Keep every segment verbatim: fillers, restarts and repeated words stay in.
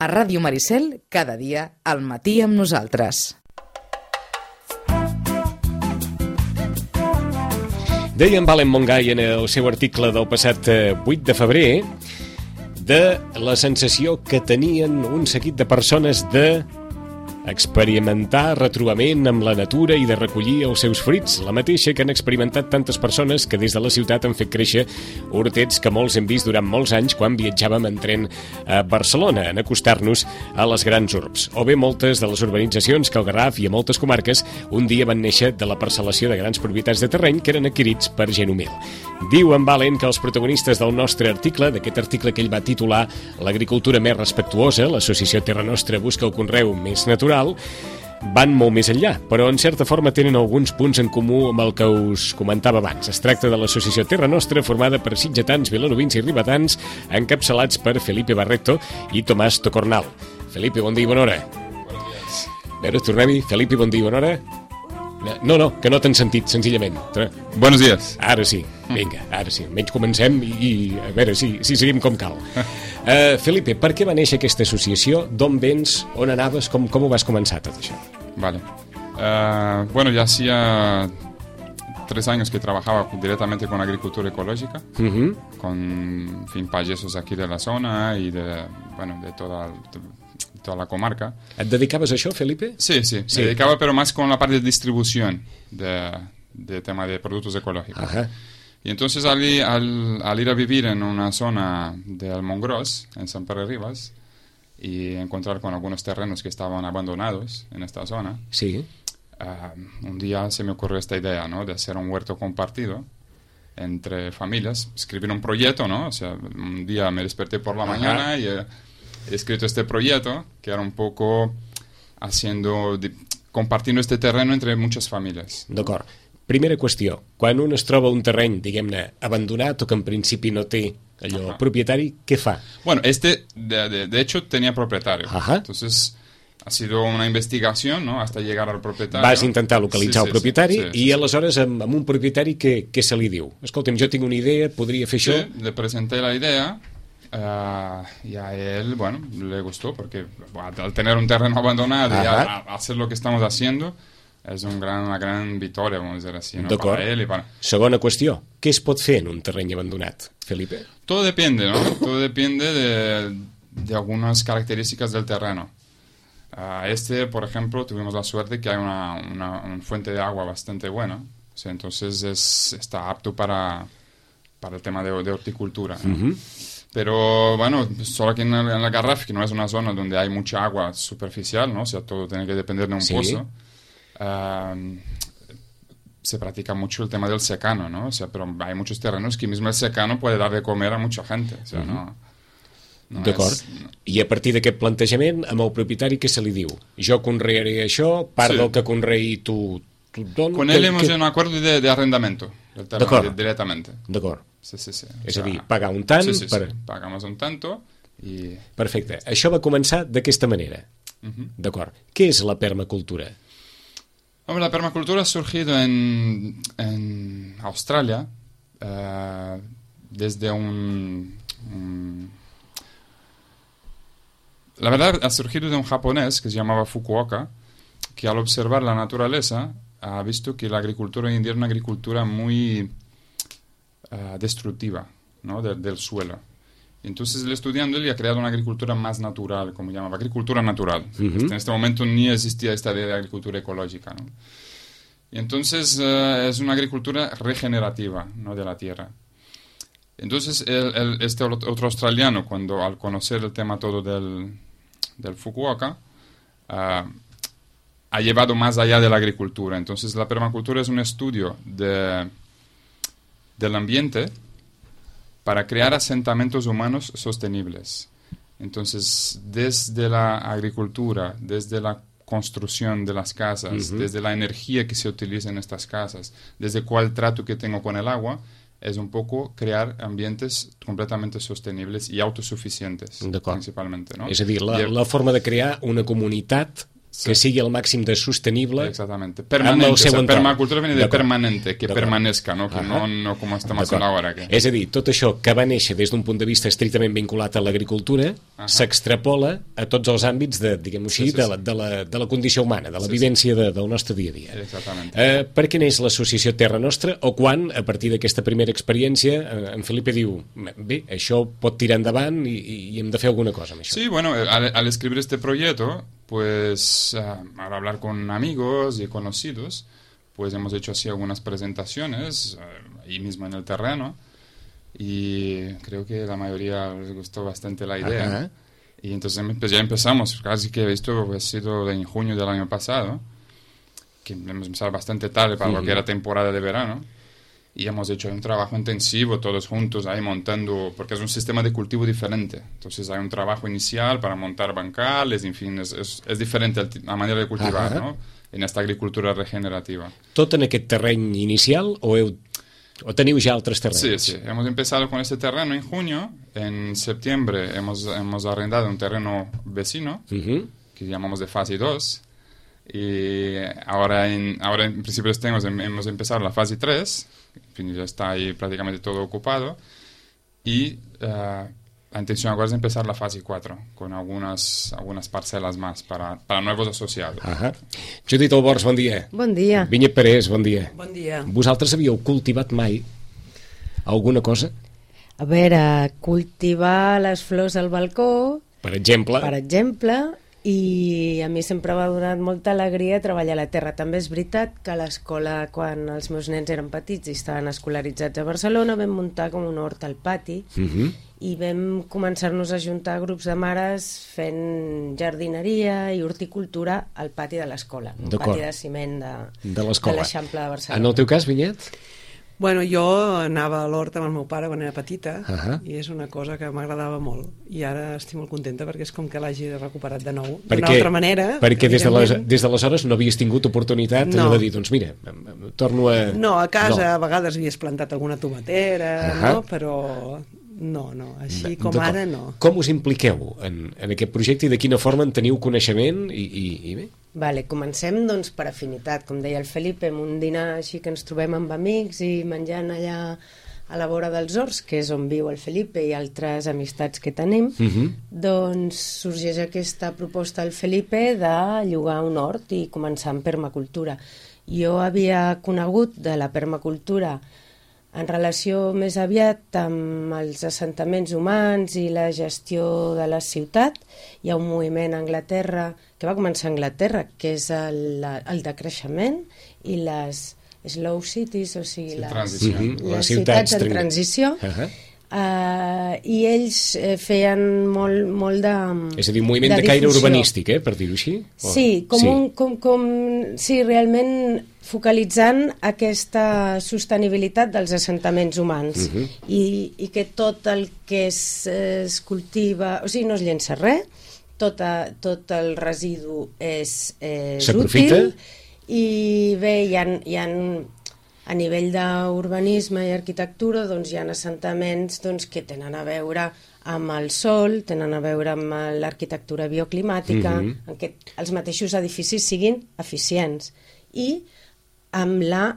A Ràdio Maricel, cada dia, al matí amb nosaltres. Deia en Valen Montgai en el seu article del passat vuit de febrer de la sensació que tenien un seguit de persones de experimentar retrobament amb la natura i de recollir els seus fruits, la mateixa que han experimentat tantes persones que des de la ciutat han fet créixer hortets que molts hem vist durant molts anys quan viatjàvem en tren a Barcelona, en acostar-nos a les grans urbs. O bé moltes de les urbanitzacions que al Garraf i a moltes comarques un dia van néixer de la parcel·lació de grans propietats de terreny que eren adquirits per gent humil. Diu en Valen que els protagonistes del nostre article, d'aquest article que ell va titular L'agricultura més respectuosa, l'associació Terra Nostra busca el conreu més natural, van molt més enllà, però en certa forma tenen alguns punts en comú amb el que us comentava abans. Es tracta de l'associació Terra Nostra, formada per sitgetans, vilanovins i ribetans, encapçalats per Felipe Barreto i Tomàs Tocornal. Felipe, bon dia i bona hora. Buenos días. A veure, tornem-hi. Felipe, bon dia i bona hora. No, no, que no t'han sentit, senzillament. Buenos días. Ara sí, vinga, ara sí. Almenys comencem i, i a veure si, si seguim com cal. Uh, Felipe, per què va néixer aquesta associació? D'on vens? On anaves? Com, com ho vas començar tot això? Vale. Uh, bueno, ya hacía tres años que trabajaba directamente con agricultura ecológica, uh-huh. con en fin, payesos aquí de la zona y de, bueno, de toda... De, toda la comarca. ¿Et dedicaves a això, Felipe? Sí, sí, sí. Me dedicaba, pero más con la parte de distribución de, de tema de productos ecológicos. Ajá. Y entonces al, al, al ir a vivir en una zona de Almongros, en San Pere Ribas, y encontrar con algunos terrenos que estaban abandonados en esta zona, sí. uh, un día se me ocurrió esta idea, ¿no?, de hacer un huerto compartido entre familias, escribir un proyecto, ¿no? O sea, un día me desperté por la Ajá. mañana y... Uh, he escrito este proyecto que era un poco haciendo, de, compartiendo este terreno entre muchas familias. D'acord. Primera qüestió, quan un es troba un terreny, diguem-ne, abandonat o que en principi no té allò Ajá. propietari, què fa? Bueno, este de, de, de hecho tenía propietario. Ajá. Entonces ha sido una investigación, ¿no?, hasta llegar al propietario. Vas intentar localitzar sí, sí, el propietari sí, sí, i sí, aleshores amb, amb un propietari què, què se li diu? Escolta'm, jo tinc una idea, podria fer sí, això? Le presenté la idea. Uh, y a él, bueno, le gustó porque al tener un terreno abandonado Ajá. y a, a hacer lo que estamos haciendo es un gran, una gran victoria, vamos a decir así, ¿no?, para él y para... Segona qüestió, què es pot fer en un terreny abandonat, Felipe? Todo depende, ¿no? Todo depende de, de algunas características del terreno. Uh, este, por ejemplo, tuvimos la suerte que hay una, una, una fuente de agua bastante buena, o sea, entonces es, está apto para, para el tema de, de horticultura, ¿no? Uh-huh. Pero bueno, solo aquí en el, en el Garraf, que no es una zona donde hay mucha agua superficial, ¿no? O sea, todo tiene que depender de un sí. pozo. Uh, se practica mucho el tema del secano, ¿no? O sea, pero hay muchos terrenos que mismo el secano puede dar de comer a mucha gente. O sea, uh-huh. no... no D'acord. És... I a partir d'aquest plantejament, amb el propietari què se li diu? Jo conrearé això, part sí. del que conreï tu... tu don, Con él hemos hecho un acuerdo de, de arrendamiento del terreno di- directamente. D'acord. Sí, sí, sí. És o sea, a dir, pagar un tant... Sí, sí, per... sí. Pagamos un tanto i... Perfecte. Això va començar d'aquesta manera. Uh-huh. D'acord. Què és la permacultura? Hombre, la permacultura ha surgido en, en Australia uh, desde un, un... La verdad, ha surgido de un japonés que se llamaba Fukuoka, que al observar la naturaleza ha visto que la agricultura hoy en día es una agricultura muy... Uh, destructiva, ¿no?, de, del suelo. Entonces, el estudiando él ha creado una agricultura más natural, como llamaba, agricultura natural. Uh-huh. En este momento ni existía esta idea de agricultura ecológica, ¿no? Y entonces uh, es una agricultura regenerativa, ¿no?, de la tierra. Entonces, el, el, este otro australiano, cuando al conocer el tema todo del, del Fukuoka, uh, ha llevado más allá de la agricultura. Entonces, la permacultura es un estudio de... del ambiente para crear asentamientos humanos sostenibles. Entonces, desde la agricultura, desde la construcción de las casas, uh-huh. desde la energía que se utiliza en estas casas, desde cuál trato que tengo con el agua, es un poco crear ambientes completamente sostenibles y autosuficientes, principalmente, ¿no? És a dir, la, la forma de crear una comunitat que sigui el màxim de sostenible. Exactamente, permanente, el seu o sea, entorn. permacultura viene de permanente, que permanezca, no, que no, no com estem haciendo ahora. Que... És a dir, tot això que va néixer des d'un punt de vista estrictament vinculat a l'agricultura s'extrapola a tots els àmbits de, diguem-ho així, sí, sí, sí. De, la, de, la, de la condició humana, de la sí, vivència sí. de, del nostre dia a dia. Exactament. Eh, per què neix l'associació Terra Nostra, o quan, a partir d'aquesta primera experiència, eh, en Felipe diu, bé, això pot tirar endavant i, i hem de fer alguna cosa amb això? Sí, bueno, al, al escribir este proyecto, pues uh, al hablar con amigos y conocidos, pues hemos hecho así algunas presentaciones uh, ahí mismo en el terreno y creo que la mayoría les gustó bastante la idea. Ajá. Y entonces pues ya empezamos, casi que esto ha sido en junio del año pasado, que hemos empezado bastante tarde para uh-huh. lo que era temporada de verano. Y hemos hecho un trabajo intensivo todos juntos ahí montando, porque es un sistema de cultivo diferente. Entonces hay un trabajo inicial para montar bancales, en fin, es, es, es diferente la manera de cultivar, uh-huh. ¿no? En esta agricultura regenerativa. ¿Tot en aquest terreny inicial o, heu, o teniu ja altres terrenos? Sí, sí, hemos empezado con este terreno en junio. En septiembre hemos, hemos arrendado un terreno vecino, uh-huh. que llamamos de fase dos. Y ahora en, ahora en principio hemos, hemos empezado la fase tres. En fin, ya está ahí prácticamente todo ocupado y uh, la intención ahora es empezar la fase cuatro con algunas, algunas parcelas más para, para nuevos asociados. Ajá. Judit Albors, bon dia. Bon dia. Vinyet Parés, bon dia. Bon dia. Vosaltres havíeu cultivat mai alguna cosa? A veure, cultivar les flors al balcó, per exemple, per exemple, i a mi sempre m'ha donat molta alegria treballar a la terra. També és veritat que a l'escola, quan els meus nens eren petits i estaven escolaritzats a Barcelona, vam muntar com un hort al pati uh-huh. i vam començar-nos a juntar grups de mares fent jardineria i horticultura al pati de l'escola, un pati de ciment de, de l'Eixample de Barcelona. En el teu cas, Vinyet? Bueno, jo anava a l'hort amb el meu pare quan era petita uh-huh. i és una cosa que m'agradava molt i ara estic molt contenta perquè és com que l'hagi recuperat de nou d'una altra manera. Perquè des d'aleshores no havies tingut oportunitat no. de dir, doncs mira, torno a... No, a casa no. a vegades havies plantat alguna tomatera, uh-huh. no? Però no, no, així com ara no. Com us impliqueu en, en aquest projecte i de quina forma en teniu coneixement i, i, i bé? Vale, comencem doncs per afinitat, com deia el Felipe, amb un dinar així que ens trobem amb amics i menjant allà a la vora dels horts, que és on viu el Felipe i altres amistats que tenim, uh-huh. doncs sorgeix aquesta proposta al Felipe de llogar un hort i començar amb permacultura. Jo havia conegut de la permacultura en relació més aviat amb els assentaments humans i la gestió de la ciutat. Hi ha un moviment a Anglaterra, que va començar a Anglaterra, que és el, el decreixement i les slow cities, o sigui, sí, les, uh-huh. les, les ciutats en transició. Uh-huh. Uh, i ells eh, feien molt, molt de... És a dir, un moviment de, de caire urbanístic, eh, per dir-ho així? O... Sí, com sí. Un, com, com, sí, realment focalitzant aquesta sostenibilitat dels assentaments humans uh-huh. i, i que tot el que es, es cultiva, o sigui, no es llença res, tot, a, tot el residu és, és útil i bé, hi ha, hi ha a nivell d'urbanisme i arquitectura doncs hi ha assentaments doncs, que tenen a veure amb el sol, tenen a veure amb l'arquitectura bioclimàtica, mm-hmm. en què els mateixos edificis siguin eficients i amb la,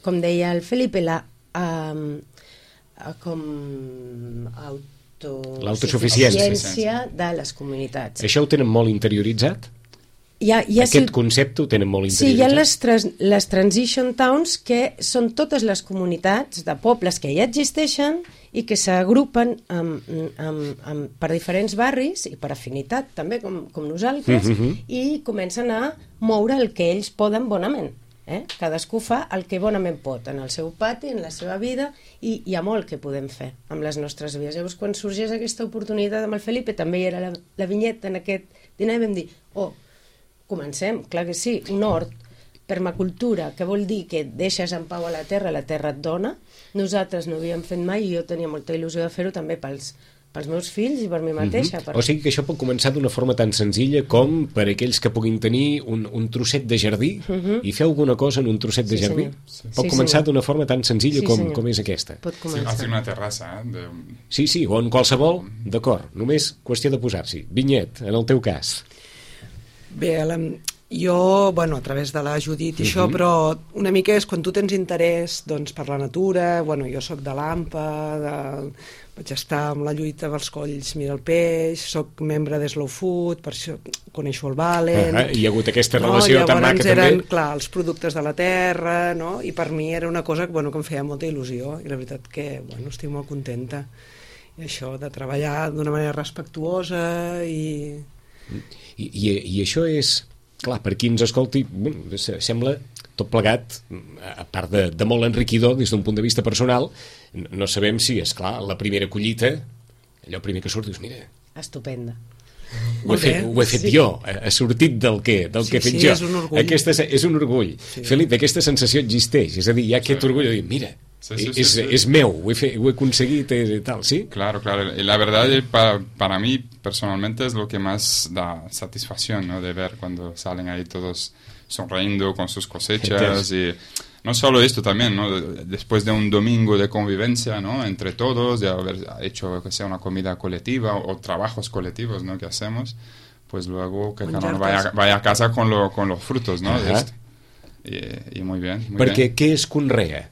com deia el Felipe, la um, com auto... l'autosuficiència de les comunitats. Això ho tenen molt interioritzat? Hi ha, hi ha Aquest si... concepte ho tenen molt interioritzat? Sí, hi ha les, trans, les transition towns, que són totes les comunitats de pobles que ja existeixen i que s'agrupen amb, amb, amb, per diferents barris i per afinitat també, com, com nosaltres, mm-hmm. i comencen a moure el que ells poden bonament. Eh? Cadascú fa el que bonament pot en el seu pati, en la seva vida, i hi ha molt que podem fer amb les nostres vides. Llavors, quan sorgeix aquesta oportunitat amb el Felipe, també hi era la, la vinyeta en aquest dinar, i vam dir, oh, comencem, clar que sí, un hort, permacultura, que vol dir que deixes en pau a la terra, la terra et dona. Nosaltres no havíem fet mai i jo tenia molta il·lusió de fer-ho també pels, pels meus fills i per mi mateixa. Mm-hmm. Per... O sigui que això pot començar d'una forma tan senzilla com per aquells que puguin tenir un, un trosset de jardí mm-hmm. i fer alguna cosa en un trosset sí, de jardí. Sí. Pot sí, començar d'una forma tan senzilla sí, com, com és aquesta. Pot començar. Sí, una terrassa. Eh? De... Sí, sí, o en qualsevol, d'acord, només qüestió de posar-s'hi. Vinyet, en el teu cas. Bé, la, jo, bueno, a través de la Judit i uh -huh. això, però una mica és quan tu tens interès doncs, per la natura, bueno, jo sóc de l'AMPA, de... vaig estar amb la lluita dels colls Mira el Peix, sóc membre de Slow Food, per això coneixo el Valen... Uh -huh. Hi ha hagut aquesta relació no? tan maca eren, també. Clar, els productes de la terra, no? I per mi era una cosa que, bueno, que em feia molta il·lusió, i la veritat que, bueno, estic molt contenta. I això de treballar d'una manera respectuosa i... I, i, i això és, clar, per qui ens escolti, bueno, sembla tot plegat, a part de, de molt enriquidor des d'un punt de vista personal, no sabem si, és clar, la primera collita, allò primer que surt, dius, mira... Estupenda. Ho he fet, ho he fet sí. jo, ha sortit del que, del sí, que he fet sí, jo. És un orgull. Aquesta és un orgull. Sí. Felipe, aquesta sensació existeix, és a dir, hi ha aquest sí. orgull de dir, mira, sí, sí, sí, és, sí. és meu, ho he, fet, ho he aconseguit i tal, ¿sí? Claro, claro. Y la verdad, para, para mí, personalmente, es lo que más da satisfacción, ¿no? De ver cuando salen ahí todos sonriendo con sus cosechas y... No solo esto también, ¿no? Después de un domingo de convivencia, ¿no? Entre todos, de haber hecho que sea una comida colectiva o, o trabajos colectivos, ¿no? Que hacemos, pues luego que cada uno vaya, vaya a casa con, lo, con los frutos, ¿no? De esto. Y, y muy bien, muy Perquè bien. què es conrea?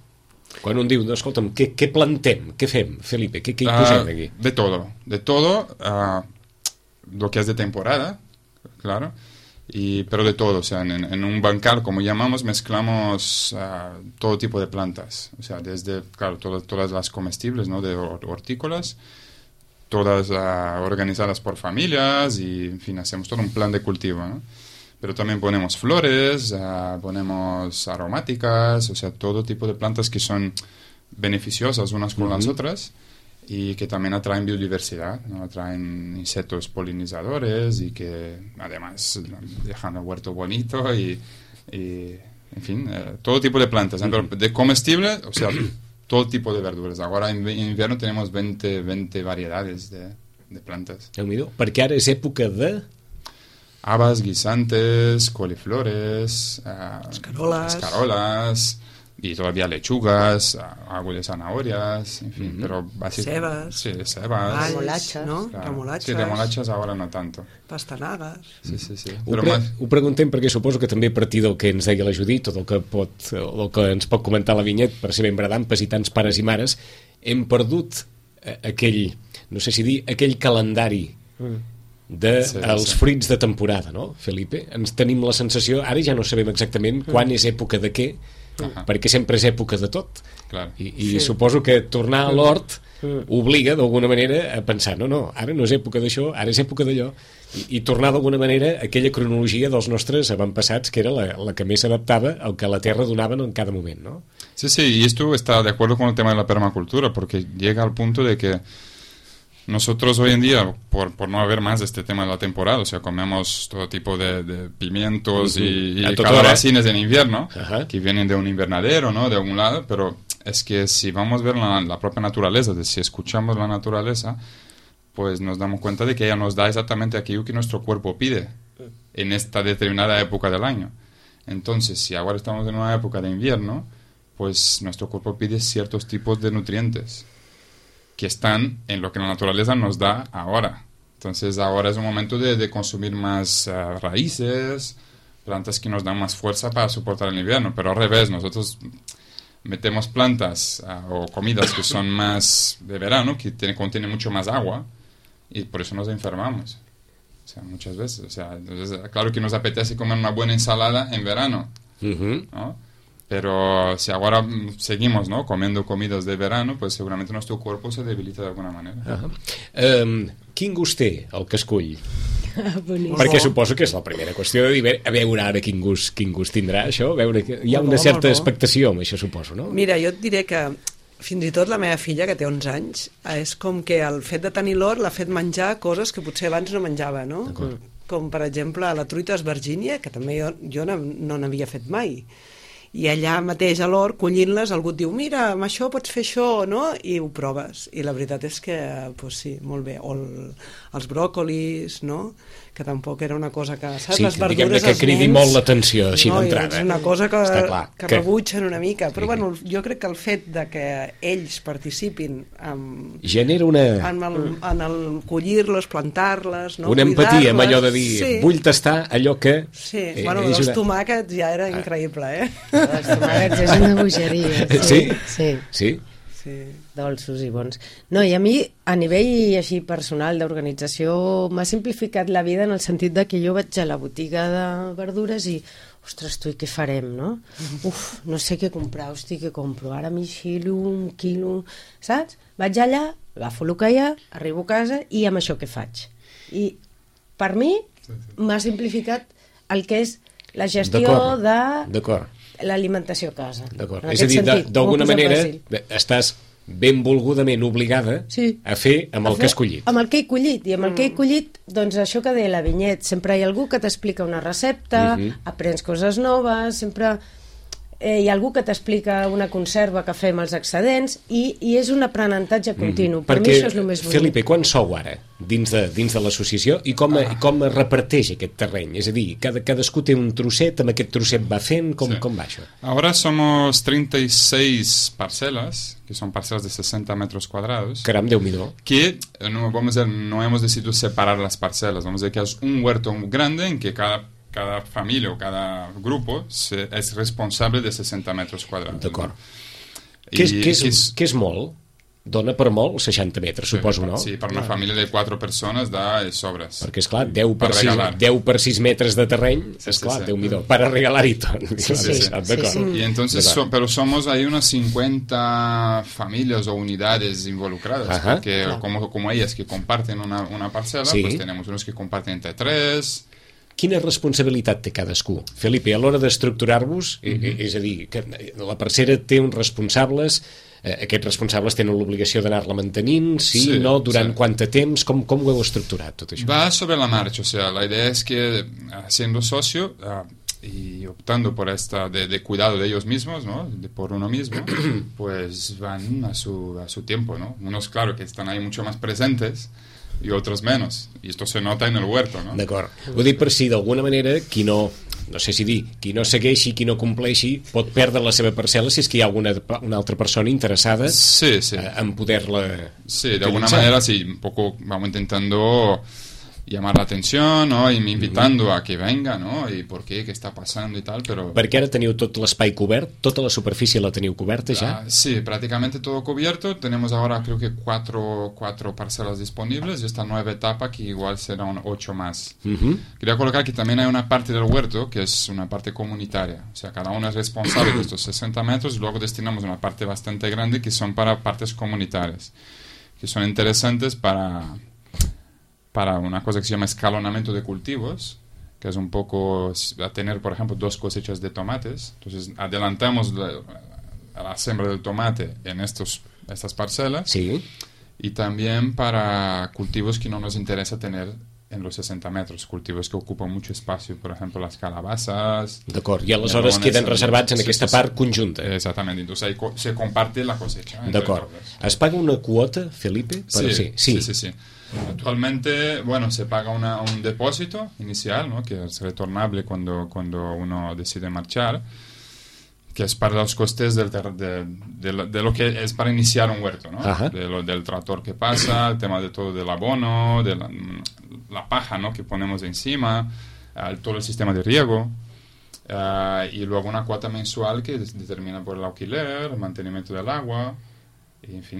Quan un diu, no, escolta'm, què, què plantem? Què fem, Felipe? Què, què hi posem aquí? Uh, de todo, de todo, uh, lo que es de temporada, claro. Y, pero de todo, o sea, en, en un bancal, como llamamos, mezclamos uh, todo tipo de plantas, o sea, desde, claro, todo, todas las comestibles, ¿no? De hortícolas, todas uh, organizadas por familias y, en fin, hacemos todo un plan de cultivo, ¿no? Pero también ponemos flores, uh, ponemos aromáticas, o sea, todo tipo de plantas que son beneficiosas unas con uh-huh. las otras, y que también atraen biodiversidad, ¿no? Atraen insectos polinizadores y que además dejan el huerto bonito y, y en fin, eh, todo tipo de plantas, ¿eh? Pero de comestible, o sea, todo tipo de verduras. Ahora en, en invierno tenemos veinte, veinte variedades de, de plantas. Perquè ara és època de... Habas, guisantes, coliflores, uh, escarolas. escarolas y todavía lechugas, algo de zanahorias, en fin, mm-hmm. pero básicamente... Cebas. Sí, cebas. Remolachas, no? Claro. Remolachas. Sí, remolachas ahora no tanto. Pastanagues. Sí, sí, sí. Ho, Però pre más... ho preguntem perquè suposo que també a partir del que ens deia la Judit, tot el que, pot, el que ens pot comentar la Vinyet, per ser ben bradampes i tants pares i mares, hem perdut aquell, no sé si dir, aquell calendari dels de sí, sí. fruits de temporada, no, Felipe? Ens tenim la sensació, ara ja no sabem exactament quan és època de què, uh-huh. perquè sempre és època de tot. Clar. I, i sí. suposo que tornar a l'hort obliga d'alguna manera a pensar, no, no, ara no és època d'això, ara és època d'allò, i, i tornar d'alguna manera a aquella cronologia dels nostres avantpassats, que era la, la que més s'adaptava al que la terra donava en cada moment, ¿no? Sí, sí, y esto está de acuerdo con el tema de la permacultura, porque llega al punto de que nosotros hoy en día, por, por no haber más este tema de la temporada, o sea, comemos todo tipo de, de pimientos uh-huh. y, y calabacines en invierno, uh-huh. que vienen de un invernadero, ¿no? De algún lado, pero es que si vamos a ver la, la propia naturaleza, de si escuchamos la naturaleza, pues nos damos cuenta de que ella nos da exactamente aquello que nuestro cuerpo pide en esta determinada época del año. Entonces, si ahora estamos en una época de invierno, pues nuestro cuerpo pide ciertos tipos de nutrientes que están en lo que la naturaleza nos da ahora. Entonces ahora es un momento de, de consumir más uh, raíces, plantas que nos dan más fuerza para soportar el invierno, pero al revés, nosotros metemos plantas uh, o comidas que son más de verano, que tiene, contienen mucho más agua, y por eso nos enfermamos. O sea, muchas veces. O sea, entonces, claro que nos apetece comer una buena ensalada en verano, uh-huh. ¿no? Pero si ahora seguimos, ¿no? comiendo comidas de verano, pues seguramente nuestro cuerpo se debilita de alguna manera. Uh-huh. um, quin gust té el que escull? Perquè suposo que és la primera qüestió de dir, a veure ara quin gust, quin gust tindrà això, a veure que hi ha una certa expectació amb això, suposo, no? Mira, jo et diré que fins i tot la meva filla, que té onze anys, és com que el fet de tenir l'hort l'ha fet menjar coses que potser abans no menjava, no? Com per exemple la truita esvergínia, que també jo, jo no, no n'havia fet mai. i allà mateix a l'hort, collint-les, algú et diu, mira, amb això pots fer això, no? I ho proves, i la veritat és que pues sí, molt bé, o el, els bròcolis, no? Que tampoc era una cosa que, saps, sí, les verdures diguem-ne que cridi nens, molt l'atenció així no, d'entrada. És una cosa que, clar, que, que rebutgen una mica, però sí. bueno, jo crec que el fet de que ells participin amb, genera una... en el, en el collir-les, plantar-les, no? Una empatia amb allò de dir, sí. vull tastar allò que... Sí, eh, bueno, és els una... tomàquets ja era increïble, eh? Els tomàquets és una bogeria. Sí? Sí? Sí. Sí? Sí. Dolços i bons. No, i a mi, a nivell així personal d'organització, m'ha simplificat la vida en el sentit de que jo vaig a la botiga de verdures i, ostres, tu, i què farem, no? Uf, no sé què comprar, hosti, què compro? Ara m'hi xilo un quilo, saps? Vaig allà, agafo el que hi ha, arribo a casa i amb això què faig? I per mi m'ha simplificat el que és la gestió de... D'acord. L'alimentació a casa. D'acord. És a dir, d'alguna manera estàs benvolgudament obligada sí. a fer amb el que has collit. Amb el que he collit. I amb el que he collit, doncs això que deia la Vinyet, sempre hi ha algú que t'explica una recepta, uh-huh. aprens coses noves, sempre eh, hi ha algú que t'explica una conserva que fem als excedents i, i és un aprenentatge continu. Uh-huh. Per Perquè, mi això és el més bonic. Felipe, quan sou ara dins de, dins de l'associació i com, ah. com es reparteix aquest terreny? És a dir, cada, cadascú té un trosset, amb aquest trosset va fent, com, sí. com va això? Ahora somos treinta y seis parcelas, que son parcelas de sesenta metros cuadrados. Caram, Déu-n'hi-do. Que no, vamos a, no hemos decidido separar las parcelas, vamos a decir que es un huerto grande en que cada cada familia o cada grupo se, es responsable de sesenta metros cuadrados. D'acord. ¿No? Què és, què, és, és, què és molt? Dona per molt seixanta metres, sí, suposo, no? Sí, per una família de quatre persones da sobres. Perquè, esclar, deu per sis metres de terreny, sí, esclar, sí, sí. Déu-n'hi-do, para regalar-hi tot. Sí, sí, sí. D'acord. Sí, sí. Y entonces, so, pero somos ahí unas cincuenta familias o unidades involucradas, Ajá, porque claro. como, como ellas que comparten una, una parcela, sí. pues tenemos unos que comparten entre tres... Quina responsabilitat té cadascú? Felipe, a l'hora d'estructurar-vos, mm-hmm. és a dir, que la parcera té uns responsables, eh, aquests responsables tenen l'obligació d'anar-la mantenint, sí, sí no, durant sí. quant de temps, com, com ho heu estructurat tot això? Va sobre la marcha, o sea, la idea es que siendo socio uh, y optando por esta de, de cuidado de ellos mismos, ¿no? De por uno mismo, pues van a su, a su tiempo, ¿no? Unos, claro, que están ahí mucho más presentes, i otros menos, i esto se nota en el huerto, no? D'acord. Ho dic per si d'alguna manera qui no, no sé si dir, qui no segueixi, qui no compleixi, pot perdre la seva parcel·la si és que hi ha alguna una altra persona interessada sí, sí. en poder-la sí, de alguna manera sí, un poco vamos intentando llamar la atención, ¿no? Y invitando mm-hmm. a que venga, ¿no? Y por qué, qué está pasando y tal, pero... Perquè ara teniu tot l'espai cobert, tota la superfície la teniu coberta ja? Uh, sí, prácticamente todo cubierto. Tenemos ahora creo que cuatro, cuatro parcelas disponibles y esta nueva etapa que igual serán ocho más. Mm-hmm. Quería colocar que también hay una parte del huerto que es una parte comunitaria. O sea, cada uno es responsable de estos sesenta metros y luego destinamos una parte bastante grande que son para partes comunitarias, que son interesantes para... para una cosa que se llama escalonamiento de cultivos, que es un poco a tener, por ejemplo, dos cosechas de tomates. Entonces, adelantamos la, la siembra del tomate en estos, estas parcelas. Sí. Y también para cultivos que no nos interesa tener en los sesenta metros, cultivos que ocupan mucho espacio, por ejemplo, las calabazas. D'acord, i aleshores queden reservats en sí, aquesta sí, part conjunta. Exactamente, entonces ahí co se comparte la cosecha. D'acord. Es paga una quota, Felipe? Sí, sí, sí, sí, sí. Actualmente, bueno, se paga una, un depósito inicial, ¿no? Que es retornable cuando, cuando uno decide marchar, que es para los costes del ter de, de, de lo que es para iniciar un huerto, ¿no? De lo, del tractor que pasa, el tema de todo del abono, de la, la paja, ¿no? Que ponemos encima, uh, todo el sistema de riego, uh, y luego una cuota mensual que determina por el alquiler, el mantenimiento del agua. I, en fi,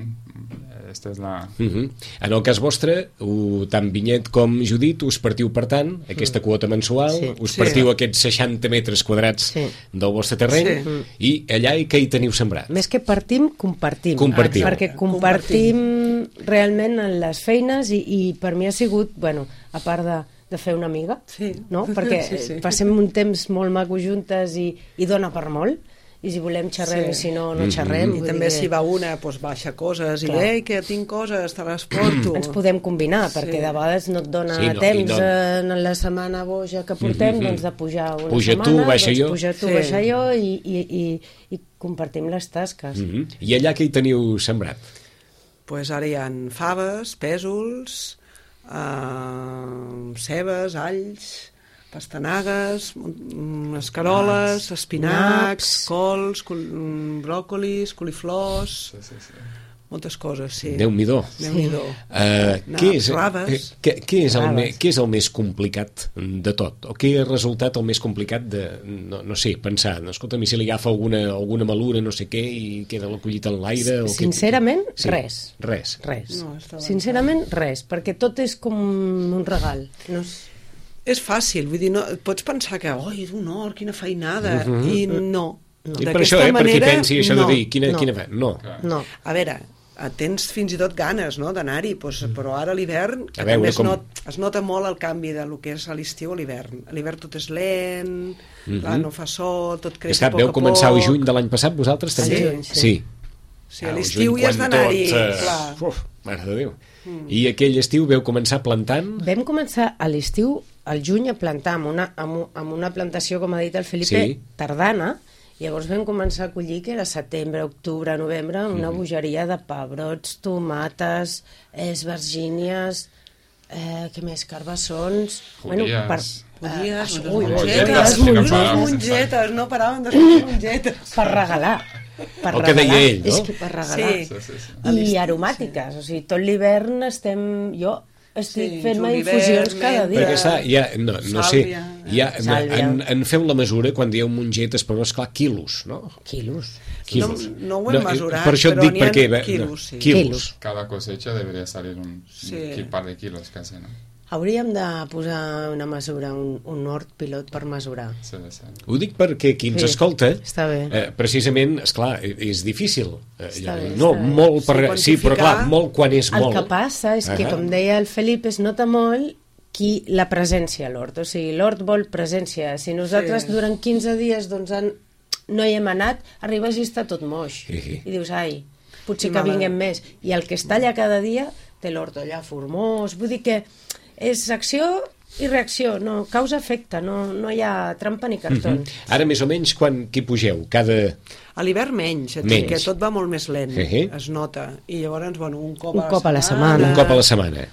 esta és la... Uh-huh. En el cas vostre, ho, tant Vinyet com Judit, us partiu, per tant, aquesta quota mensual, sí. us partiu sí. aquests seixanta metres quadrats sí. del vostre terreny, sí. i allà i què hi teniu sembrat? Més que partim, compartim. Compartim. Perquè compartim, compartim realment en les feines i, i per mi ha sigut, bueno, a part de, de fer una amiga, sí. no? Perquè sí, sí. passem un temps molt maco juntes i, i dona per molt. i si volem xerrem, Sí. i si no, no xerrem. I Vull també dir si que va una, doncs baixa coses, Clar. i ei, que tinc coses, te les porto. ens podem combinar, Sí. perquè de vegades no et dona Sí, no, i temps no- en la setmana boja que portem, Mhm. doncs de pujar una Puja tu, setmana, baixa doncs jo. puja tu, Sí. baixa jo, i, i, i, i compartim les tasques. Mhm. I allà què hi teniu sembrat? Pues ara hi ha faves, pèsols, eh, cebes, alls, pastanagues, mm, escaroles, espinacs, Naps. cols, col mm, bròcolis, coliflors, Sí, sí, sí. moltes coses, sí. Déu-n'hi-do. Déu-n'hi-do. Uh, No, què, és, raves. eh, què, què, és el Raves. me, què és el més complicat de tot? O què ha resultat el més complicat de, no, no sé, pensar, no, escolta, si li agafa alguna, alguna malura, no sé què, i queda la collita en l'aire? o què- Sincerament, Sí, res. Res. Res. No, està Sincerament, res, perquè tot és com un regal. No és... És fàcil, vull dir, no, pots pensar que, oi, d'un or, quina feinada, i no. I per això, eh, per qui pensi això no. de dir, quina, no. quina fe? No. No. A veure, tens fins i tot ganes, no?, d'anar-hi, doncs, però ara a l'hivern A veure també es, com- not, es nota molt el canvi de lo que és a l'estiu a l'hivern. A l'hivern tot és lent, clar, no fa sol, tot creix És que a poc veu a començar poc. el juny de l'any passat, vosaltres també? Sí, juny, sí. sí. Sí, a Ah, el l'estiu juny hi has quan d'anar-hi, tot, eh, clar. Uf, mare de Déu. I aquell estiu veu començar plantant? Vam començar a l'estiu, al juny, a plantar amb una, amb, u- amb una plantació, com ha dit el Felipe, Sí. tardana, i llavors vam començar a collir, que era setembre, octubre, novembre, una bogeria de pebrots, tomates, esvergínies, eh, què més, carbassons... Judíes. Polies, eh, unes ui, mongetes, mongetes, unes que paraven mongetes, no paraven de sortir mongetes. per regalar. Per El que deia regalar. ell, no? És que per regalar. Sí. Sí, sí, sí. A l'estiu, I aromàtiques, o sigui, tot l'hivern estem... Jo estic Sí, fent-me julivert, infusions cada dia. Perquè està, ja, no, no sé, Sàlvia, eh? ja, Sàlvia. en, en feu la mesura quan dieu mongetes, però esclar, quilos, no? Quilos. Quilos. No- no ho hem mesurat, per això et però dic n'hi ha perquè... bé, quilos, no, sí. Quilos. Quilos. Cada cosecha debería salir un, Sí. un par de kilos casi, ¿no? Hauríem de posar una mesura, un, un hort pilot per mesurar. Sí, sí. Ho dic perquè qui ens Sí, escolta, està bé. eh, precisament, esclar, és difícil. Eh, Està bé, no, està bé. molt per... Sí, Sí, però clar, quantificar- molt quan és El molt. que passa és que, Ahà. com deia el Felip, es nota molt qui la presència a l'hort. O sigui, l'hort vol presència. Si nosaltres Sí. durant quinze dies doncs, han, no hi hem anat, arribes i està tot moix. Sí, sí. I dius, ai, potser I que mala- vinguem més. I el que està allà cada dia té l'hort allà formós. Vull dir que és acció i reacció, no, causa-efecte, no, no hi ha trampa ni cartons. Ara, més o menys, quan qui pugeu? Cada... A l'hivern menys, et Menys. dic que tot va molt més lent, Eh, eh. es nota. I llavors, bueno, un cop, Un cop a la setmana. Un cop a la setmana.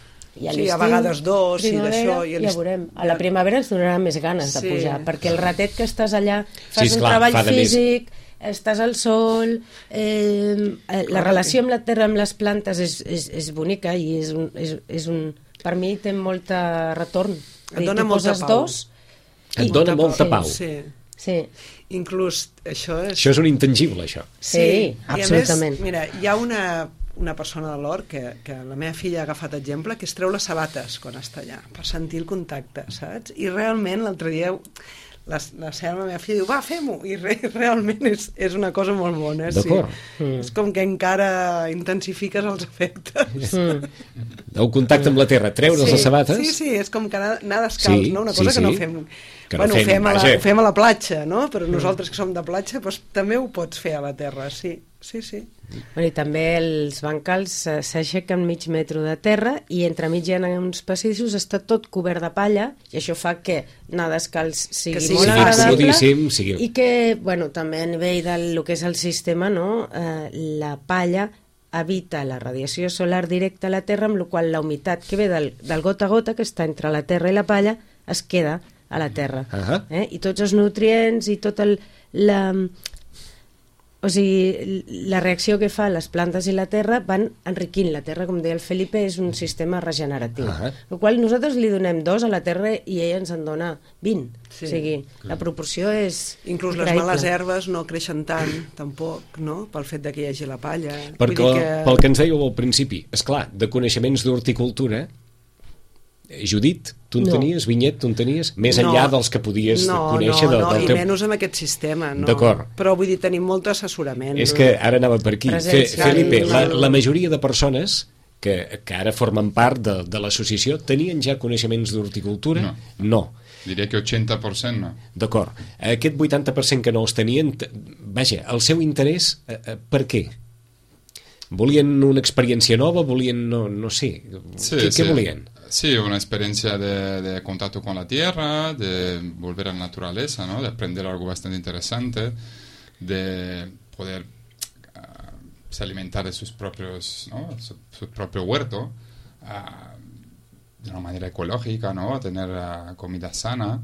I a Sí, a l'estiu, vegades dos, i primavera, d'això, i a ja l'est- veurem. A la primavera ens donarà més ganes de Sí. pujar, perquè el ratet que estàs allà, fas Sí, un esclar, treball fa de més. físic, estàs al sol, eh, eh, la relació amb la terra, amb les plantes és, és, és bonica i és un, és, és un, per mi té molt retorn. Et dona Tu molta poses pau. dos, Et dona molta Sí. pau. Sí. sí, Inclús això és... Això és un intangible, això. sí, I absolutament. a més, mira, hi ha una, una persona de l'hort que, que la meva filla ha agafat exemple, que es treu les sabates quan està allà, per sentir el contacte, saps? I realment l'altre dia la, la seva meva filla diu, va, fem-ho, i re, realment és, és una cosa molt bona, sí. D'acord. Mm. És com que encara intensifiques els efectes. Mm. El contacte amb la terra, treure's sí, les sabates... Sí, sí, és com que anar, anar descalç, Sí, no? Una sí, cosa que no sí. fem... Que no bueno, fem, ho, fem a la, vaja. ho fem a la platja, no? Però nosaltres que som de platja, doncs, també ho pots fer a la terra, sí. Sí, sí. Bueno, I també els bancals eh, s'aixequen mig metro de terra i entremig hi ha uns passadissos, està tot cobert de palla i això fa que anar descalç sigui, Que sigui molt fàcil. agradable Comodíssim, sigui- i que, bueno, també a nivell del lo que és el sistema, no? eh, la palla evita la radiació solar directa a la terra, amb la qual la humitat que ve del, del gota a gota, que està entre la terra i la palla, es queda a la terra. Ahà. Eh? I tots els nutrients i tot el... La, o sigui, la reacció que fa les plantes i la terra van enriquint la terra, com deia el Felipe, és un sistema regeneratiu. Ah. El qual nosaltres li donem dos a la terra i ella ens en dona vint. Sí. O sigui, la proporció és Inclús les increïble. males herbes no creixen tant, tampoc, no? Pel fet de que hi hagi la palla. Perquè, Vull dir que... pel que ens dèieu al principi, és clar, de coneixements d'horticultura, eh, Judit, tu en No. tenies, Vinyet, tu en tenies, més enllà dels que podies no, conèixer no, del, no, del i teu... menys amb aquest sistema, no? D'acord. Però vull dir, tenim molt assessorament. És que ara anava per aquí. Fe, Presència. Felipe, la, Sí. la majoria de persones que, que ara formen part de, de l'associació tenien ja coneixements d'horticultura? No. No. Diria que ochenta per cent no. D'acord. Aquest vuitanta per cent que no els tenien, vaja, el seu interès, eh, per què? Volien una experiència nova? Volien, no, no sé, sí, ¿qué, sí. ¿qué volien? Sí, una experiencia de, de contacto con la tierra, de volver a la naturaleza, ¿no? De aprender algo bastante interesante, de poder uh, se alimentar de sus propios, ¿no? su, su propio huerto, uh, de una manera ecológica, ¿no? Tener uh, comida sana,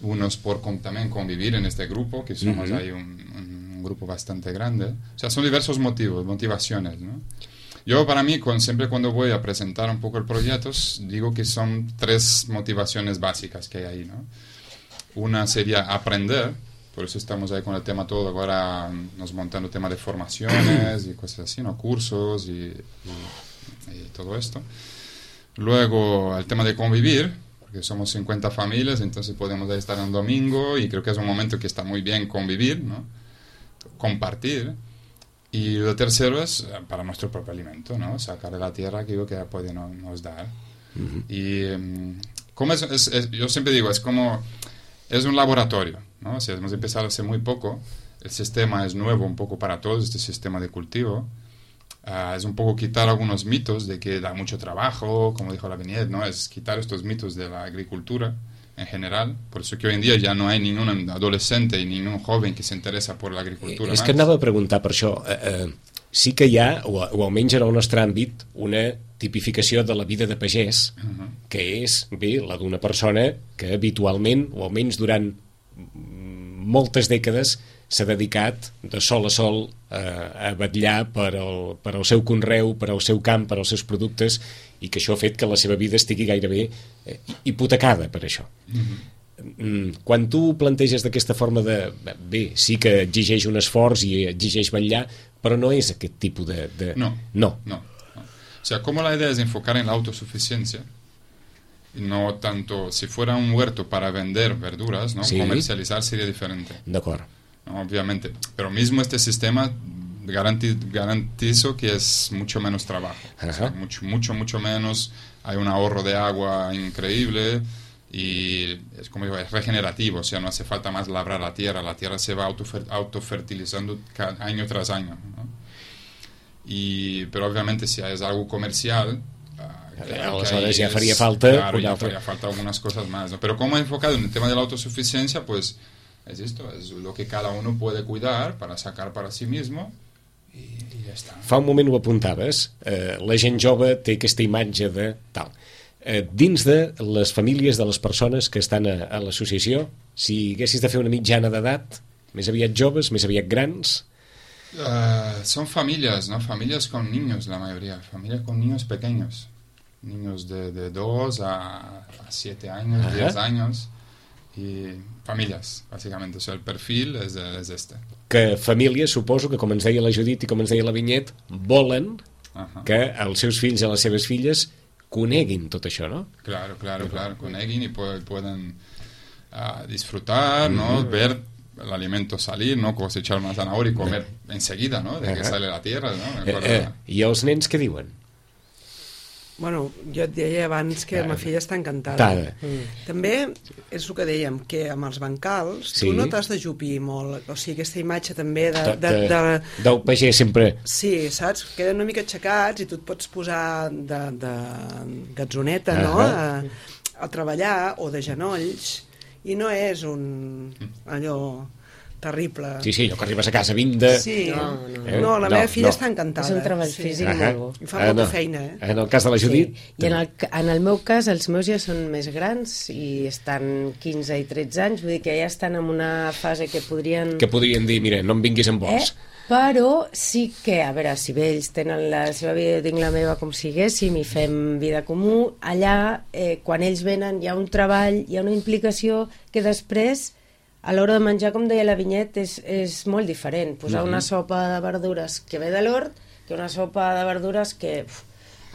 unos por con, también convivir en este grupo, que somos uh-huh. ahí un, un grupo bastante grande. O sea, son diversos motivos, motivaciones, ¿no? Yo, para mí, con, siempre cuando voy a presentar un poco el proyecto, digo que son tres motivaciones básicas que hay ahí, ¿no? Una sería aprender, por eso estamos ahí con el tema todo, ahora nos montando tema de formaciones y cosas así, ¿no? Cursos y, y, y todo esto. Luego, el tema de convivir, porque somos cincuenta familias, entonces podemos ahí estar un domingo y creo que es un momento que está muy bien convivir, ¿no? Compartir. Y lo tercero es para nuestro propio alimento, ¿no? Sacar de la tierra aquello que puede no, nos dar. Uh-huh. Y um, como es, es, es, yo siempre digo, es como, es un laboratorio, ¿no? O sea, hemos empezado hace muy poco, el sistema es nuevo un poco para todos, este sistema de cultivo. Uh, es un poco quitar algunos mitos de que da mucho trabajo, como dijo la Viñet, ¿no? Es quitar estos mitos de la agricultura en general, por eso que hoy en dia ja no hi ha ningún adolescente i ningún joven que s'interessa per l'agricultura. És que anava a preguntar per això. Eh, eh, sí que hi ha, o, o almenys en el nostre àmbit, una tipificació de la vida de pagès, uh-huh. que és, bé, la d'una persona que habitualment, o almenys durant moltes dècades, s'ha dedicat de sol a sol eh, a vetllar per el, per el seu conreu, per el seu camp, per els seus productes, i que això ha fet que la seva vida estigui gairebé eh, hipotecada per això. Mm-hmm. Quan tu planteges d'aquesta forma de... Bé, sí que exigeix un esforç i exigeix vetllar, però no és aquest tipus de... de... No, no. no, no. O sea, como la idea es enfocar en la autosuficiencia, no tanto... Si fuera un huerto para vender verduras, ¿no? Sí. Comercializar sería diferente. D'acord. No, obviamente. Pero mismo este sistema... Garanti, garantizo que es mucho menos trabajo, o sea, mucho, mucho, mucho menos, hay un ahorro de agua increíble y es como digo, es regenerativo, o sea, no hace falta más labrar la tierra, la tierra se va autofer, autofertilizando año tras año, ¿no? Y, pero obviamente si es algo comercial, claro, aleshores ja faria falta, claro, ya faría falta algunas cosas más, ¿no? Pero como he enfocado en el tema de la autosuficiencia, pues es esto, es lo que cada uno puede cuidar para sacar para sí mismo. I ja està. Fa un moment ho apuntaves, eh, la gent jove té aquesta imatge de tal. Eh, dins de les famílies de les persones que estan a, a l'associació, si haguessis de fer una mitjana d'edat, més aviat joves, més aviat grans? Uh, son familias, ¿no? Familias con niños, la mayoría. Familias con niños pequeños. Niños de, de dos a, a siete años, Ajá. diez años. Y familias, básicamente. O sea, el perfil es, de, es este. Que famílies, suposo que, com ens deia la Judit i com ens deia la Vinyet, volen uh-huh. que els seus fills i les seves filles coneguin tot això, ¿no? Claro, claro, claro. Coneguin y pueden uh, disfrutar, uh-huh. ¿no? Ver el alimento salir, ¿no? Cosechar una zanahoria y comer uh-huh. enseguida, ¿no? De uh-huh. que sale la tierra, ¿no? Eh, eh, I els nens què diuen? Bueno, jo et deia abans que la meva filla està encantada. Mm. També és el que dèiem, que amb els bancals sí. tu no t'has de jupir molt. O sigui, aquesta imatge també de... de, de, de del pagès sempre. Sí, saps? Queden una mica aixecats i tu et pots posar de, de gatzoneta, uh-huh. no? A, a treballar, o de genolls, i no és un... allò... terrible. Sí, sí, allò que arribes a casa vint de... Sí, no, no, eh? no la meva no, filla no. està encantada. És un treball sí. físic uh-huh. molt bo. I fa molta uh, no. feina, eh? En el cas de la Judit... Sí. I en el, en el meu cas, els meus ja són més grans i estan quinze i tretze anys, vull dir que ja estan en una fase que podrien... Que podrien dir, mira, no em vinguis amb vols. Eh? Però sí que, a veure, si bé ells tenen la seva vida, jo tinc la meva com siguéssim i fem vida comú, allà, eh, quan ells venen, hi ha un treball, hi ha una implicació que després... a l'hora de menjar, com deia la Vinyet, és, és molt diferent. Posar uh-huh. una sopa de verdures que ve de l'hort que una sopa de verdures que uf,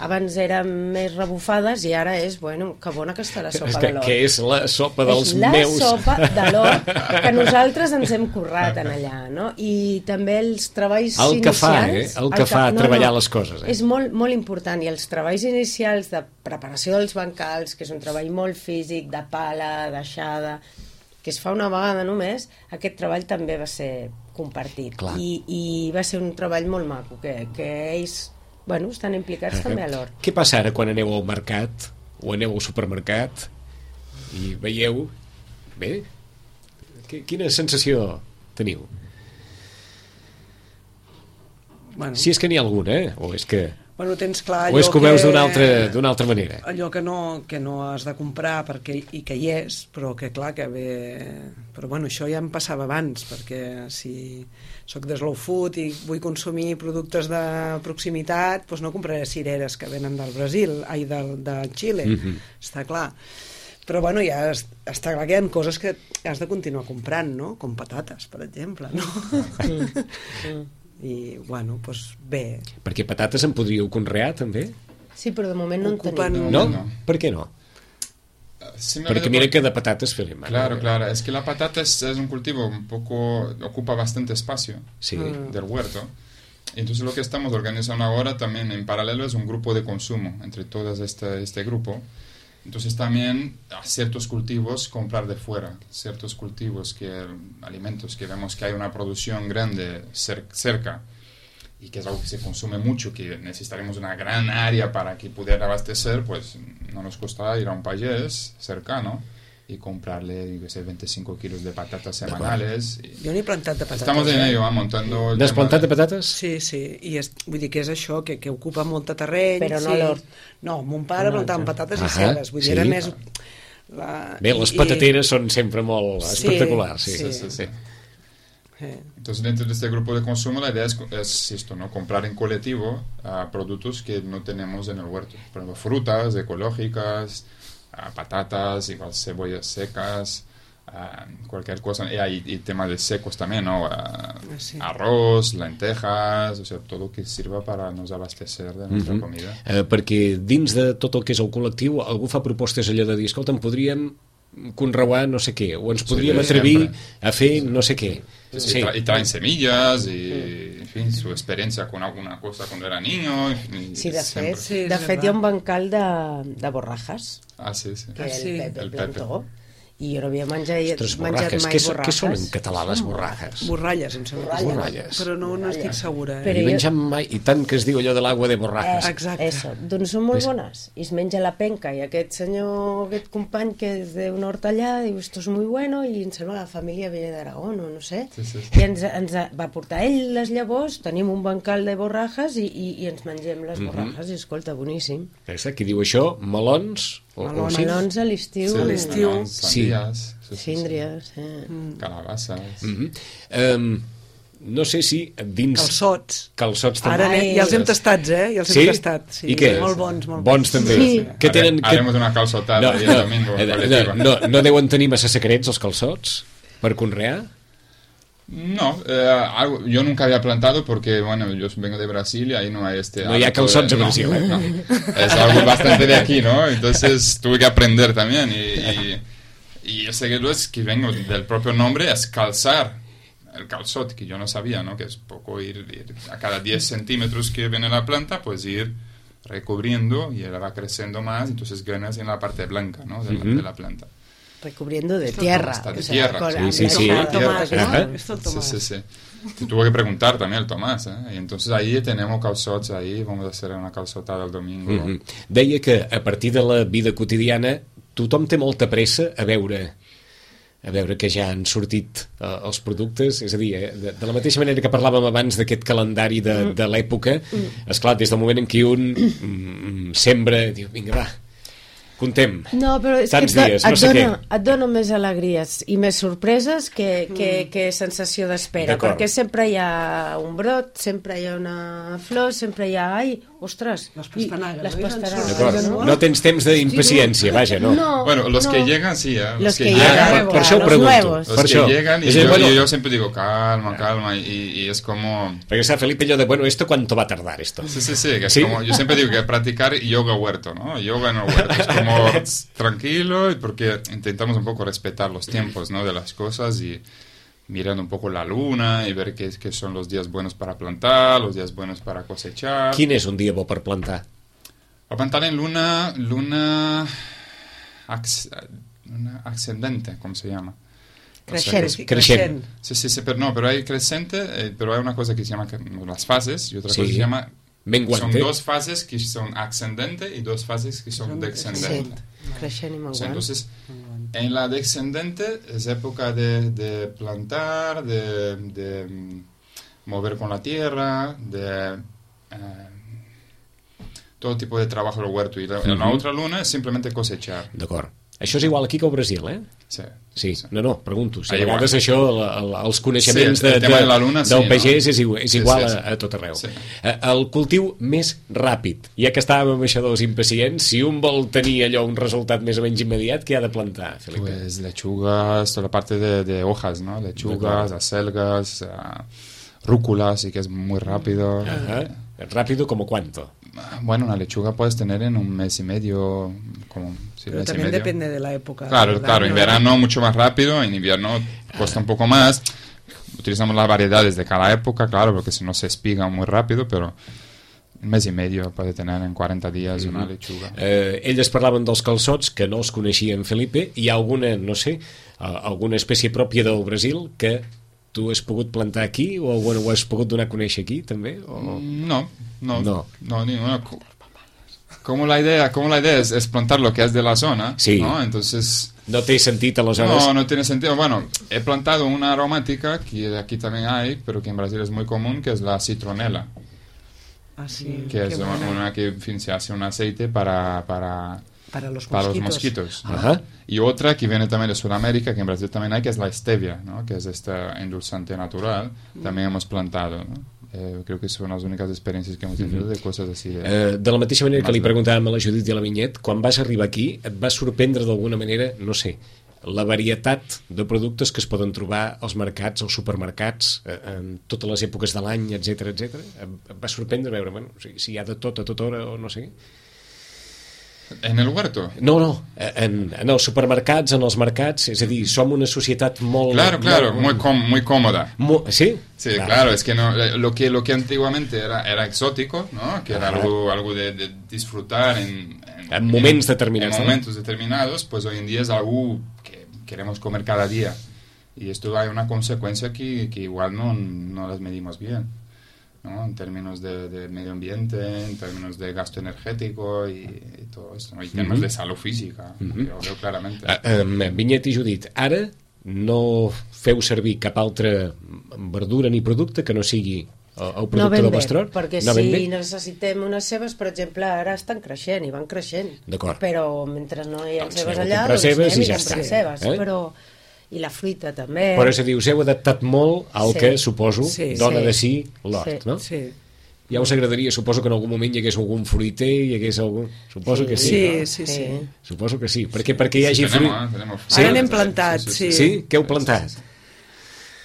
abans eren més rebufades i ara és, bueno, que bona que està la sopa que, de l'or. que és la sopa dels és la meus... la sopa de l'or que nosaltres ens hem currat en allà, no? I també els treballs el inicials... que fa, eh? El que fa no, treballar no, les coses, eh? És molt, molt important, i els treballs inicials de preparació dels bancals, que és un treball molt físic, de pala, deixada, que es fa una vegada només, aquest treball també va ser compartit. I, I va ser un treball molt maco, que, que ells... Bueno, estan implicats uh-huh. també a l'or. Què passa ara quan aneu al mercat o aneu al supermercat i veieu... Bé, quina sensació teniu? Bueno. Si és que n'hi ha alguna, eh? O és que... Bueno, tens clar o és que ho veus d'una altra, d'una altra manera? Allò que no, que no has de comprar perquè, i que hi és, però que clar que ve... Però bueno, això ja em passava abans, perquè si sóc de slow food i vull consumir productes de proximitat, doncs no compraré cireres que venen del Brasil, ai, del, de Xile, mm-hmm. està clar. Però bueno, ja està clar que hi ha coses que has de continuar comprant, no? Com patates, per exemple, no? Mm. I, bueno, doncs bé. Perquè patates en podríeu conrear, també? Sí, però de moment no Ocupen... en tenim. No? no? Per què no? Porque mira que de patatas feliz. Claro, claro. Es que la patata es, es un cultivo un poco... ocupa bastante espacio sí. del huerto. Entonces lo que estamos organizando ahora también en paralelo es un grupo de consumo entre todas este, este grupo. Entonces también a ciertos cultivos comprar de fuera. Ciertos cultivos, que alimentos que vemos que hay una producción grande cer cerca y que es algo que se consume mucho, que necesitaremos una gran área para que pudiera abastecer, pues no nos cuesta ir a un payés cercano y comprarle, yo sé, veinticinco kilos de patatas semanales. Y jo n'he plantat de patates. Estamos en ello, ¿eh? Montando... N'has plantat de patates? Sí, sí, i és, vull dir que és això, que, que ocupa molt de terreny. Però no sí. l'hort. No, mon pare plantava patates ah, i cebes, vull dir, sí. era més... La... Bé, les patateres I... són sempre molt sí, espectaculars. Sí, sí, sí. sí. Entonces dentro de este grupo de consumo la idea es, es esto, ¿no? Comprar en colectivo uh, productos que no tenemos en el huerto, por ejemplo frutas ecológicas, uh, patatas, igual cebollas secas, uh, cualquier cosa, y hay y temas de secos también, ¿no? Uh, sí. Arroz, lentejas, o sea, todo que sirva para nos abastecer de nuestra mm-hmm. comida. Uh, perquè dins de tot el que és el col·lectiu algú fa propostes allò de dir, escolta, en podríem conreuar no sé què, o ens podríem sí, atrevir sempre. A fer no sé què. Sí, sí. Y traen semillas y, en fin, su experiencia con alguna cosa cuando era niño. Y, sí, de fet, sí, de fet hi ha un bancal de, de borrajas. Ah, sí, sí. Que ah, sí. el Pepe el plantó. I jo no havia menjat, Ostres, menjat mai què, borrajes. Què són en català les borrajes? Borralles, em sembla. Borralles. Però no, no estic segura. Eh? Però jo... menjat mai, i tant que es diu allò de l'aigua de borrajes. Eh, exacte. Eso. Doncs són molt bones. I es menja la penca, i aquest senyor, aquest company que és d'un hort allà, diu, esto es muy bueno, i em sembla que la família ve d'Aragón, o no sé. Sí, sí, sí. I ens, ens va portar ell les llavors, tenim un bancal de borrajes i, i, i ens mengem les borrajes, mm-hmm. i escolta, boníssim. Aquesta, qui diu això? Melons? O, melons, o melons a l'estiu. Sí, a l'estiu. Sandías. Sí. Síndries, eh. Calabasses. Mm-hmm. um, no sé si dins... Calçots. Calçots també. Ara ja els hem tastats, eh? Ja els sí? hem tastat. Sí. I què? Molt bons, molt bons. Bons també. Sí. Que tenen, que... Haremos una calçotada no, el no, domingo. No, no, no deuen tenir massa secrets els calçots per conrear? No, eh, algo, yo nunca había plantado porque, bueno, yo vengo de Brasil y ahí no hay este... No hay calzots en Brasil, ¿eh? No, es algo bastante de aquí, ¿no? Entonces tuve que aprender también y, y, y yo sé que lo es que vengo del propio nombre, es calzar el calzot, que yo no sabía, ¿no? Que es poco ir, ir a cada diez centímetros que viene la planta, pues ir recubriendo y ella va creciendo más, entonces ganas en la parte blanca, ¿no? De, uh-huh. la, de la planta. Recubriendo de tierra. Hasta de o sea, tierra. Con, sí, sí, sí. El Tomás, ¿no? Ajá. Esto el Tomás. Sí, sí, sí. Te tuvo que preguntar también el Tomás, ¿eh? Y entonces ahí tenemos calçots, ahí vamos a hacer una calçotada el domingo. Mm-hmm. Deia que a partir de la vida quotidiana tothom té molta pressa a veure a veure que ja han sortit uh, els productes, és a dir, eh, de, de la mateixa manera que parlàvem abans d'aquest calendari de, de l'època, esclar, des del moment en què un mm, sembra, diu, vinga, va, Contem. No, però és Tants que et, dies, et, no sé dona, què. et dona més alegries i més sorpreses que, que, que sensació d'espera, D'acord. perquè sempre hi ha un brot, sempre hi ha una flor, sempre hi ha... Ai, ostres! Les pastanagues, Les no? pastanagues, D'acord. no? No tens temps d'impaciència, vaja, no. No, Bueno, los no. que llegan sí, ¿eh? Los que Ah, llegan, per, per això ho los pregunto. nuevos. Los Per que això. llegan y És a dir, yo, bueno, y yo siempre digo calma, calma y, y es como... perquè sabe Felipe allò de, bueno, ¿esto cuánto va a tardar esto? Sí, sí, sí, que es ¿Sí? como, yo siempre digo que practicar yoga huerto, ¿no? Yoga en el huerto, es como tranquilo, y porque intentamos un poco respetar los tiempos, ¿no? De las cosas y mirando un poco la luna y ver qué, qué son los días buenos para plantar, los días buenos para cosechar. Quin és un dia bo per plantar? Para plantar en luna, luna, ax- luna ascendente, ¿cómo se llama? O sea, Creixent. que es- Creixent. Sí, sí, sí, pero no, pero hay creciente, eh, pero hay una cosa que se llama que- las fases y otra Sí. cosa que se llama... Menguante. Son dos fases que son ascendente y dos fases que son Sí, descendente. creixent i O menguant. sea, entonces, en la descendente es época de, de plantar, de, de mm, mover con la tierra, de eh, todo tipo de trabajo del huerto. Y la, en la Ujú. otra luna es simplemente cosechar. D'acord. Això és igual aquí que al Brasil, eh? Sí. Sí, no, no, pregunto. Si Ah, a vegades igual. això, el, el, els coneixements Sí, el de, tema de, de la luna, sí, del no? pagès és, igual- és Sí, igual sí, sí. a, a tot arreu. Sí. Eh, El cultiu més ràpid, ja que estàvem amb això dels impacients, si un vol tenir allò un resultat més o menys immediat, què ha de plantar, Felipe? Pues lechugas, toda la parte de, de hojas, ¿no? Lechugas, acelgas, uh, rúculas, y que es muy rápido. Ajá. ¿Rápido como cuánto? Bueno, una lechuga puedes tener en un mes y medio, como sí, Pero mes y también medio. depende de la época. Claro, del claro, año. en verano mucho más rápido, en invierno cuesta un poco más. Utilizamos las variedades de cada época, claro, porque si no se espiga muy rápido, pero un mes y medio puede tener en cuarenta días una lechuga. Eh, elles parlaven dels calçots, que no els coneixien, Felipe. Hi ha alguna, no sé, eh, alguna espècie pròpia del Brasil que tu has pogut plantar aquí o bueno, ho has pogut donar a conèixer aquí, també? O... No, no, No. no, ni una. co- Como la idea, como la idea es, es plantar lo que es de la zona, Sí. ¿no? Entonces, No té sentit, aleshores? no, no tiene sentido. Bueno, he plantado una aromática que aquí también hay, pero que en Brasil es muy común, que es la citronela, Ah, sí, que es qué una, buena. una que en fin, se hace un aceite para, para, Para los para los mosquitos. mosquitos. ¿no? Ajá. Y otra que viene también de Sudamérica, que en Brasil también hay, que es la stevia, ¿no? Que es este endulzante natural. También hemos plantado, ¿no? Eh, creo que son las únicas experiencias que hemos tenido de cosas así. De, Eh, de la mateixa manera que li Más preguntàvem a la Judit i a la Vinyet, quan vas arribar aquí et va sorprendre d'alguna manera, no sé, la varietat de productes que es poden trobar als mercats, als supermercats, eh, en totes les èpoques de l'any, etc etc. Et va sorprendre veure, bueno, o sigui, si hi ha de tot a tota hora o no sé. ¿En el huerto? No, no, en, en els supermercats, en els mercats, és a dir, som una societat molt... Claro, claro, muy, molt, com- muy cómoda. mo- ¿Sí? Sí, claro, es que no, eh, lo que lo que antiguamente era, era exótico, ¿no? Que era Ajá. algo, algo de, de disfrutar en, En moments determinados, en ¿no? momentos determinados, pues hoy en día es algo que queremos comer cada día. Y esto hay una consecuencia que, que igual no, no las medimos bien, ¿no? En términos de, de medio ambiente, en términos de gasto energético y, y todo esto, ¿no? Y en términos Ujú. de salud física, Ujú. yo veo claramente. Eh, eh, Vinyet i Judit, ara no feu servir cap altra verdura ni producte que no sigui el, el No producte ben del bé, Bestrot? perquè no ben si bé? necessitem unes cebes, per exemple, ara estan creixent i van creixent. D'acord. Però mentre no hi ha Doncs cebes aneu a allà, comprar doncs cebes anem i ja comprem està, cebes, eh? però... I la fruita també. Però és a dir, us heu adaptat molt al Sí. que, suposo, Sí. dona Sí. de si l'hort, Sí. no? Sí, Ja us agradaria, suposo que en algun moment hi hagués algun fruiter, hi hagués algun... Suposo que sí, sí, no? sí, sí. Suposo que sí, perquè perquè hi hagi Sí, fruit... tenemos, ¿eh? Tenemos Sí. Ara n'hem frutas, plantat, sí, sí. Sí? Què heu plantat?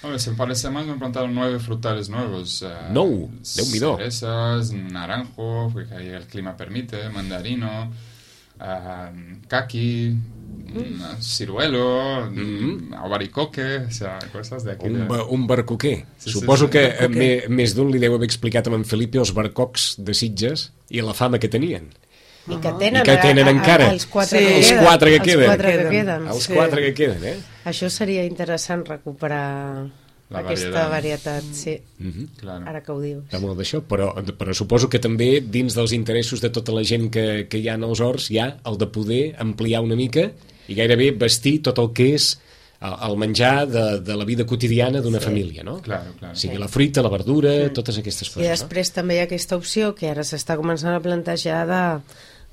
Hombre, se parece más, me han plantado nueve frutales nuevos. eh, Nou, Déu-n'hi-do. cerezas, naranjo, porque ahí el clima permite, mandarino, ah, caqui, mm, ciruelo, mm, albaricoque, o sea, cosas de aquí. Un, de- ba- un barcoquer. Sí, sí, Suposo sí. que eh, Barcoquer. me- més d'un li deu haver explicat a en Felipe els barcocs de Sitges i la fama que tenien. I que tenen, I que tenen a- a- encara. els quatre Sí. que Els queden. quatre que Els queden. quatre que Queden. queden. Els Sí. quatre que queden, eh? Això seria interessant recuperar La aquesta varietat. varietat, sí, Mhm. Claro. ara que ho dius. Està molt d'això, però, però suposo que també dins dels interessos de tota la gent que, que hi ha en els horts hi ha el de poder ampliar una mica i gairebé vestir tot el que és el, el menjar de, de la vida quotidiana d'una família, no? Claro, claro. O sigui, la fruita, la verdura, totes aquestes I coses, després també hi ha aquesta opció que ara s'està començant a plantejar de,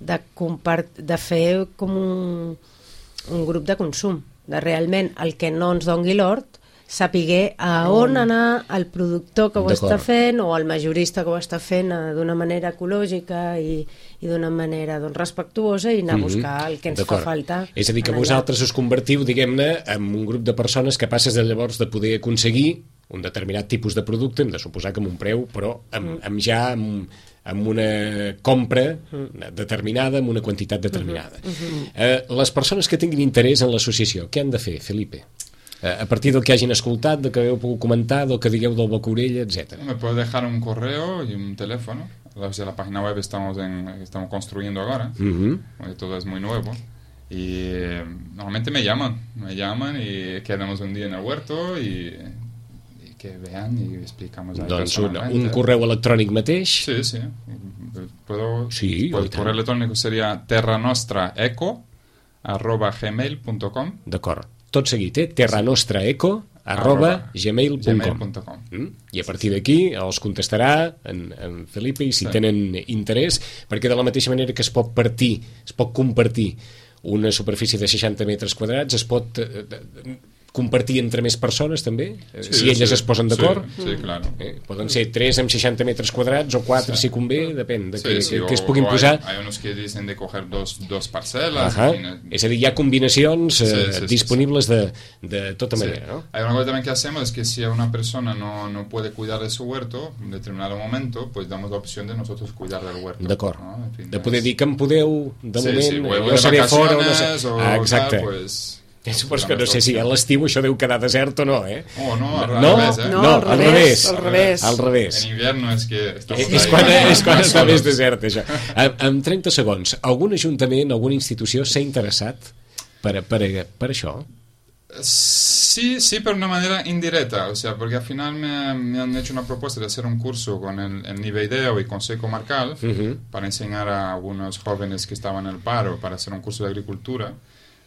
de, compart de fer com un, un grup de consum, de realment el que no ens dongui l'hort, sapiguer a on anar el productor que ho està fent o el majorista que ho està fent d'una manera ecològica i, i d'una manera doncs, respectuosa i anar a buscar el que ens fa falta. És a dir, que vosaltres us convertiu, diguem-ne, en un grup de persones capaces de llavors de poder aconseguir un determinat tipus de producte, hem de suposar que amb un preu, però amb, amb ja amb, amb una compra determinada, amb una quantitat determinada. Uh -huh. Uh -huh. Eh, les persones que tinguin interès en l'associació, què han de fer, Felipe? A partir del que hagin escoltat, del que hagueu pogut comentar, del que digueu del boca orella, etcétera. Me puedes dejar un correo y un teléfono. La, la página web estamos en, estamos construyendo ahora, uh-huh. porque todo es muy nuevo. Y eh, normalmente me llaman, me llaman y quedamos un día en el huerto y, y que vean y explicamos ahí doncs un, un correu electrònic mateix? Sí, sí. Puedo, sí, pues, el correo electrónico sería terranostraeco arroba gmail punto com. D'acord. Tot seguit, eh? terranostraeco arroba gmail punt com. Mm? I a partir d'aquí els contestarà en, en Felipe i si sí. tenen interès, perquè de la mateixa manera que es pot partir, es pot compartir una superfície de seixanta metres quadrats, es pot eh, compartir entre més persones també, sí, si elles sí, es posen d'acord. Sí, sí, claro. Eh, poden ser tres amb seixanta metres quadrats o quatre sí. si convé, depèn de sí, que, sí, que, o, que es puguin posar. Hay, hay unos que dicen de coger dos, dos parcelas. Uh -huh. És a dir, hi ha combinacions eh, sí, sí, disponibles sí, sí. De, de tota manera. Sí. ¿No? Hay una cosa también que hacemos es que si una persona no, no puede cuidar de su huerto en determinado momento, pues damos la opción de nosotros cuidar del huerto. D'acord. ¿no? En fin, de poder es... dir que em podeu, de sí, moment, sí, jo seré fora o no sé. O ah, exacte. tal, pues... Suposo que no sé si a l'estiu això deu quedar desert o no, eh? Oh, no, al no, revés, eh? No, no, al revés. Al revés. Al revés. En invierno és que... És quan, és quan està més desert, això. En, en trenta segons, algun ajuntament, alguna institució s'ha interessat per, per, per això? Sí, sí, pero de una manera indirecta, o sea, porque al final me, me han hecho una propuesta de hacer un curso con el, el Niveideo y Consejo Comarcal uh-huh. para enseñar a algunos jóvenes que estaban en el paro, para hacer un curso de agricultura.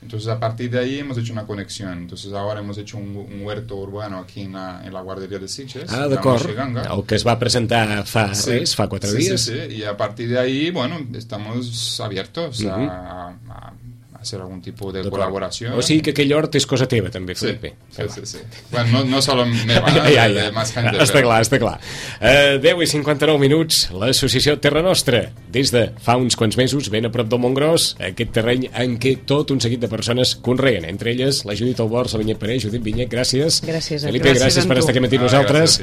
Entonces, a partir de ahí hemos hecho una conexión. Entonces, ahora hemos hecho un, un huerto urbano aquí en la, en la guardería de Sitges. Ah, d'acord. El que es va presentar fa sí. res, fa quatre sí, dies. Sí, sí, y a partir de ahí, bueno, estamos abiertos uh-huh. a, a hacer algún tipo de colaboración. O sigui que aquell hort és cosa teva, també, Felipe. Sí, sí, sí, sí. Bueno, no, no solo meva, ja, ja, ja. de más gente. Està però... clar, està clar. Uh, deu i cinquanta-nou minuts, l'associació Terra Nostra, des de fa uns quants mesos, ben a prop del Montgròs, aquest terreny en què tot un seguit de persones conreen, entre elles la Judit Albors, la Vinyet Paré. Judit, Vinyet, gràcies. Gràcies a Felipe, gràcies, gràcies per estar aquí amb ah, nosaltres.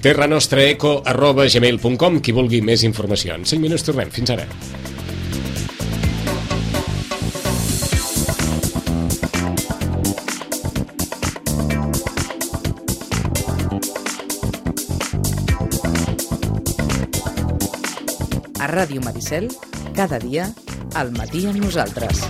terranostraeco arroba gmail punt com, qui vulgui més informació. En cinc minuts tornem. Fins ara. A Ràdio Maricel, cada dia, al matí amb nosaltres.